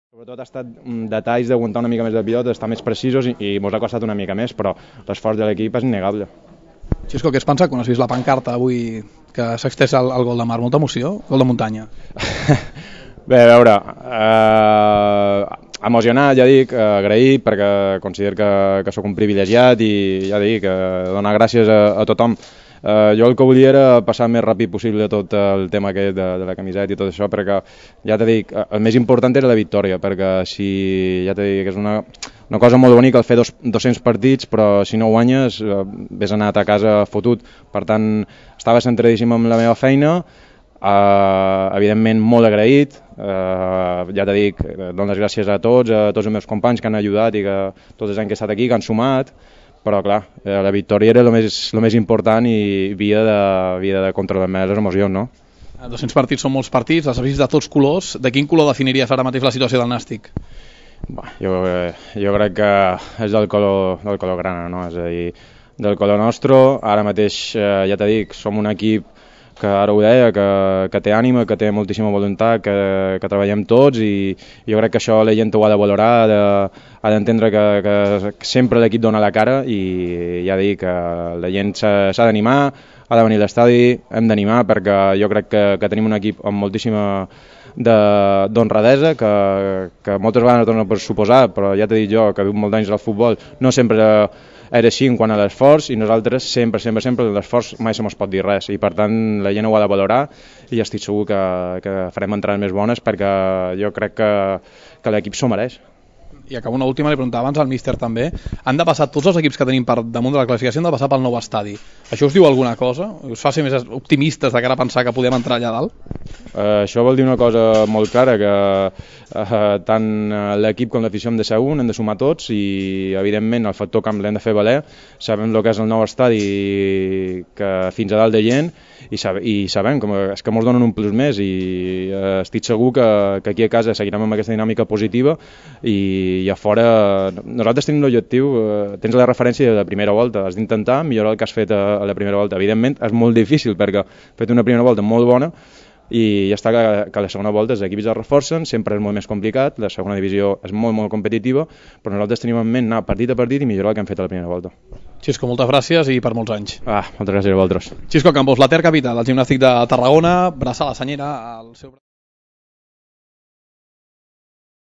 Sobretot ha estat detalls d'aguantar una mica més de pilota, estar més precisos i mos ha costat una mica més, però l'esforç de l'equip és innegable. Xisco, què has pensat quan has vist la pancarta avui que s'ha extès el gol de mar? Molta emoció? Gol de muntanya? Bé, a veure, emocionat, ja dic, agraït, perquè considero que sóc un privilegiat i ja dic, donar gràcies a tothom. Jo el que volia era passar més ràpid possible tot el tema aquest de la camiseta i tot això, perquè ja t'he dit, el més important era la victòria, perquè si ja t'he dit que és una cosa molt bonica el fer 200 partits, però si no guanyes vés anat a casa fotut. Per tant, estava centradíssim amb la meva feina, evidentment molt agraït, ja t'he dit, dono les gràcies a tots els meus companys que han ajudat i que tots els anys que he estat aquí, que han sumat, però clar, la victòria era el més important i havia de controlar més les emocions, no? 200 partits són molts partits, els has vist de tots colors. De quin color definiries ara mateix la situació del Nàstic? Jo crec que és del color grana, no? És a dir, del color nostre. Ara mateix, ja t'he dit, som un equip que ara ho deia, que té ànima, que té moltíssima voluntat, que treballem tots i jo crec que això la gent ho ha de valorar, ha d'entendre que sempre l'equip dona la cara i ja dic que la gent s'ha d'animar, ha de venir a l'estadi, hem d'animar perquè jo crec que tenim un equip amb moltíssima d'honradesa que moltes vegades donen per suposar, però ja t'he dit jo que viu molt d'anys al futbol, no sempre era així en quant a l'esforç i nosaltres sempre l'esforç mai se mos pot dir res i per tant la gent ho ha de valorar i estic segur que farem entrades més bones perquè jo crec que l'equip s'ho mereix. I acabo una última, li preguntava abans al míster també, han de passar tots els equips que tenim per damunt de la classificació, han de passar pel nou estadi. Això us diu alguna cosa? Us fa ser més optimistes de cara a pensar que podem entrar allà dalt? Això vol dir una cosa molt clara, que tant l'equip com l'afició hem de ser un, hem de sumar tots i evidentment el factor camp l'hem de fer valer, sabem el que és el nou estadi que fins a dalt de gent i sabem que és que ens donen un plus més i estic segur que aquí a casa seguirem amb aquesta dinàmica positiva i a fora nosaltres tenim l'objectiu, tens la referència de la primera volta, has d'intentar millorar el que has fet a la primera volta. Evidentment és molt difícil perquè has fet una primera volta molt bona i ja està que la segona volta els equips es reforcen, sempre és molt més complicat, la segona divisió és molt competitiva, però nosaltres tenim en ment anar partit a partit i millorar el que hem fet a la primera volta. Xisco, moltes gràcies i per molts anys. Moltes gràcies a vosaltres. Xisco Campos, la Ter Capital, el gimnàstic de Tarragona, braçar la senyera al seu...